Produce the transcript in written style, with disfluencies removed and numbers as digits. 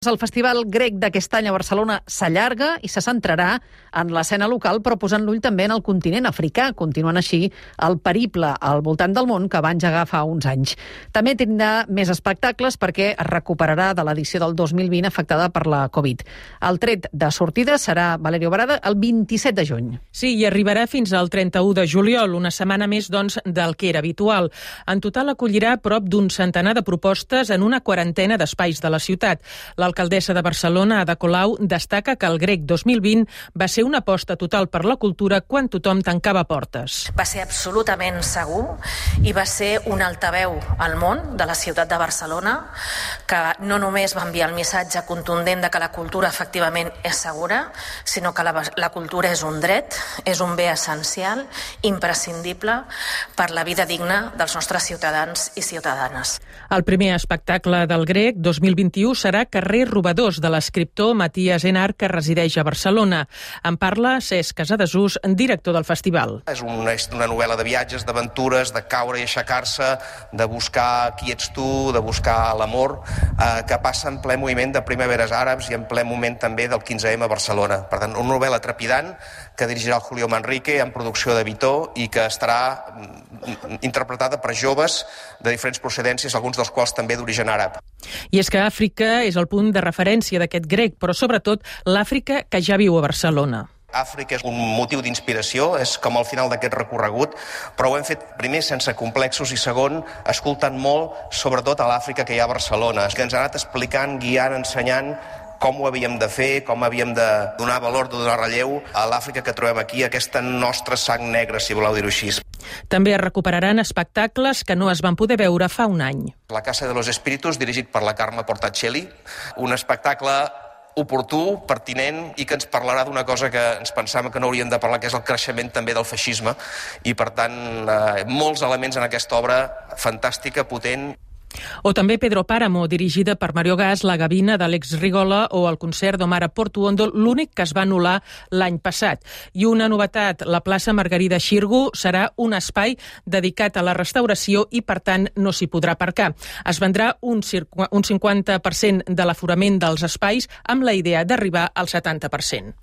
El Festival Grec d'aquest any a Barcelona s'allarga i se centrarà en l'escena local, però posant l'ull també en el continent africà, continuant així el periple al voltant del món que va engegar fa uns anys. També tindrà més espectacles perquè es recuperarà de l'edició del 2020 afectada per la Covid. El tret de sortida serà, Valerio Barada, el 27 de juny. Sí, i arribarà fins al 31 de juliol, una setmana més doncs, del que era habitual. En total acollirà prop d'un centenar de propostes en una quarantena d'espais de la ciutat. L'alcaldessa de Barcelona, Ada Colau, destaca que el Grec 2020 va ser una aposta total per la cultura quan tothom tancava portes. Va ser absolutament segur i va ser un altaveu al món de la ciutat de Barcelona que no només va enviar el missatge contundent de que la cultura efectivament és segura, sinó que la cultura és un dret, és un bé essencial, imprescindible per la vida digna dels nostres ciutadans i ciutadanes. El primer espectacle del Grec 2021 serà Carrer Robadors, de l'escriptor Matías Enar, que resideix a Barcelona. En parla Cesc Casadesús, director del festival. És una novel·la de viatges, d'aventures, de caure i aixecar-se, de buscar qui ets tu, de buscar l'amor, que passa en ple moviment de primaveres àrabs i en ple moment també del 15M a Barcelona. Per tant, una novel·la trepidant que dirigirà el Julio Manrique en producció de Vitó i que estarà interpretada per joves de diferents procedències, alguns dels quals també d'origen àrab. I és que Àfrica és el punt de referència d'aquest grec, però sobretot l'Àfrica que ja viu a Barcelona. Àfrica és un motiu d'inspiració, és com al final d'aquest recorregut, però ho hem fet primer sense complexos i segon escoltant molt, sobretot a l'Àfrica que hi ha a Barcelona, que ens ha anat explicant, guiant, ensenyant com ho havíem de fer, com havíem de donar valor, de donar relleu a l'Àfrica que trobem aquí, aquesta nostra sang negra, si voleu dir-ho així. També es recuperaran espectacles que no es van poder veure fa un any. La Casa de los Espíritus, dirigit per la Carme Portacelli, un espectacle oportú, pertinent i que ens parlarà d'una cosa que ens pensàvem que no hauríem de parlar, que és el creixement també del feixisme i, per tant, molts elements en aquesta obra fantàstica, potent. O també Pedro Páramo, dirigida per Mario Gas, La Gavina d'Àlex Rigola o el concert d'Omar Portuondo, l'únic que es va anul·lar l'any passat. I una novetat, la plaça Margarida Xirgu serà un espai dedicat a la restauració i, per tant, no s'hi podrà aparcar. Es vendrà un 50% de l'aforament dels espais amb la idea d'arribar al 70%.